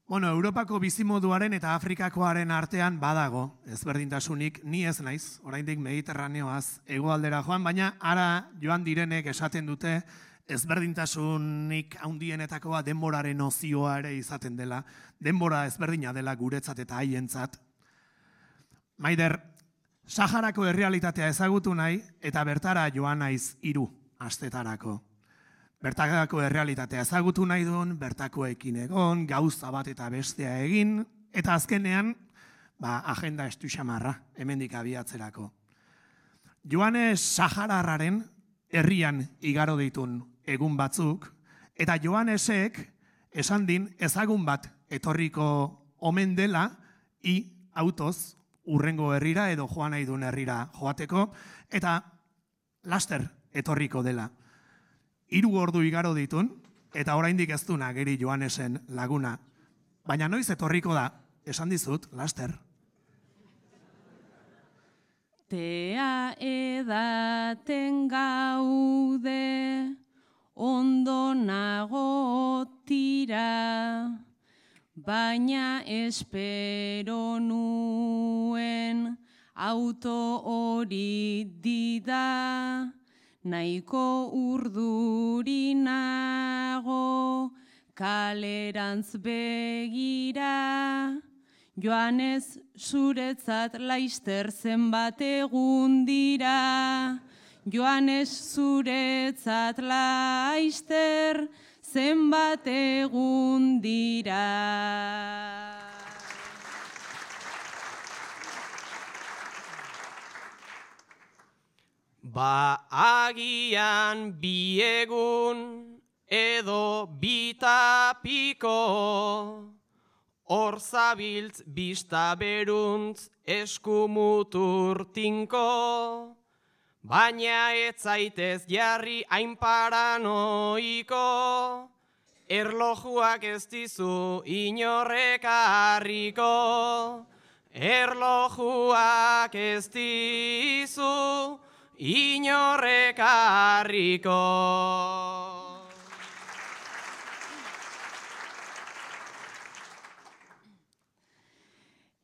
Bueno, Europako bizimoduaren eta Afrikakoaren artean badago ezberdintasunik, ni ez naiz, oraindik Mediterraneoaz hegoaldera joan, baina ara joan direnek esaten dute ezberdintasunik handienetakoa denboraren nozioa ere izaten dela, denbora ezberdina dela guretzat eta haientzat. Maider, Saharako errealitatea ezagutu nahi eta bertara joan naiz 3 astetarako. Bertakako errealitatea ezagutu nahi duen, bertakoekin egon, gauza bat eta bestea egin, eta azkenean, agenda estu xamarra, hemendik abiatzerako. Joanes Sahararraren herrian igaro ditun egun batzuk, eta Joanesek esan din ezagun bat etorriko omen dela, autoz urrengo herrira edo joan nahi duen herrira joateko, eta laster etorriko dela. 3 ordu igaro ditun, eta oraindik ez duna geri Joanesen laguna. Baina noiz etorriko da, esan dizut, laster. Tea edaten gaude, ondo nago tira, baina espero nuen auto hori dida, nahiko urdurinago kalerantz begira, Joanes zuretzat laister zenbat egun dira, Joanes zuretzat laister zenbat egun dira. Agian 2 egun edo 2 piko, hor zabiltz bista beruntz eskumutur tinko, baina ez zaitez jarri hain paranoiko, erlojuak ez dizu inorrek harriko, erlojuak ez dizu inorrek harriko.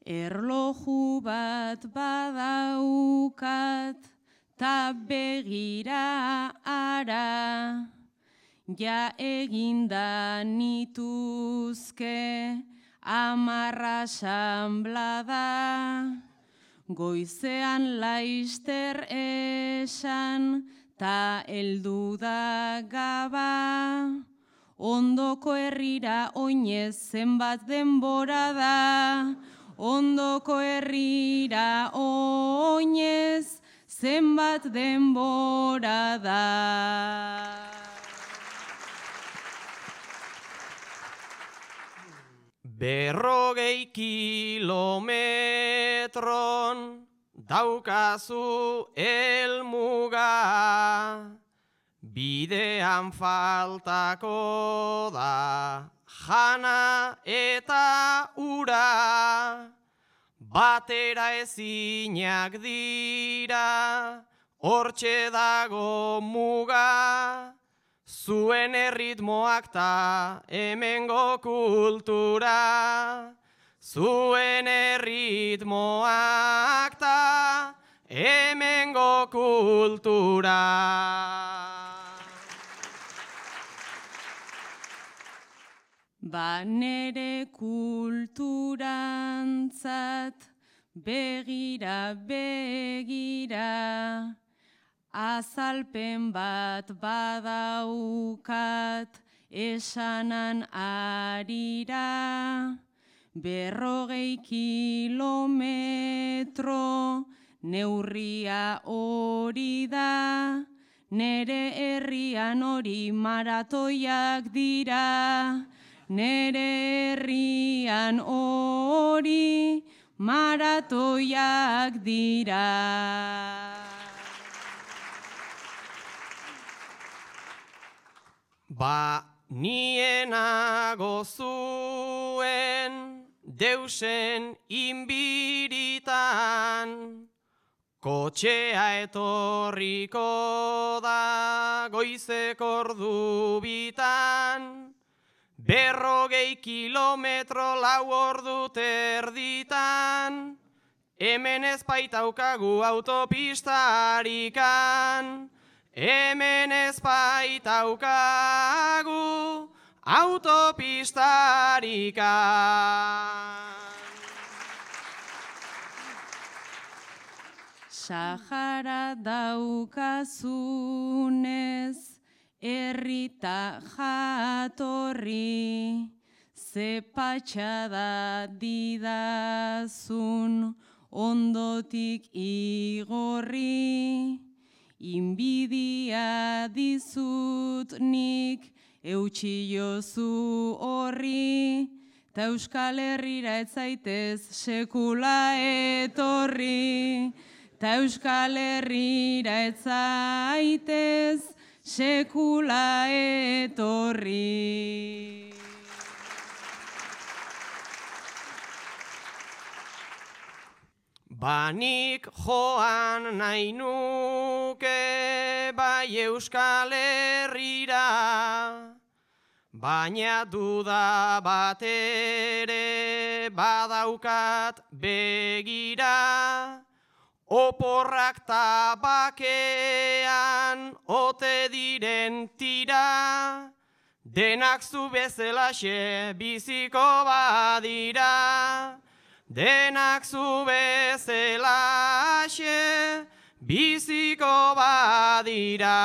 Erloju bat badaukat, ta begira ara, ja eginda nituzke 10 asanblada, goizean laister esan, ta heldu da gaba, ondoko herrira oinez zenbat denbora da, ondoko herrira oinez zenbat denbora da. 40 kilometron daukazu helmuga, bidean faltako da jana eta ura, batera ezinak dira, hortxe dago muga, zuen erritmoak ta hemengo kultura, zuen erritmoak ta hemengo kultura. Nere kulturantzat begira, azalpen bat badaukat esanan arira, 40 kilometro neurria hori da, nere herrian hori maratoiak dira, nere herrian hori maratoiak dira. Nienago zuen deusen inbiritan, kotxea etorriko da goizeko ordu bitan, 40 kilometro 4 ordu terditan, hemen ez baitaukagu autopistarikan, hemen ez baitaukagu autopistarikan. Sahara daukazunez, herrita jatorri, ze patxada didazun ondotik igorri, inbidia dizut nik eutsi jozu horri, ta Euskal Herrira ez zaitez sekula etorri, ta Euskal Herrira ez zaitez sekula etorri. Banik joan nahi nuke bai Euskal Herrira, baina duda bat ere badaukat begira, oporrak tabakean ote diren tira, denak zu bezalaxe biziko badira, denak zu bezalaxe biziko badira.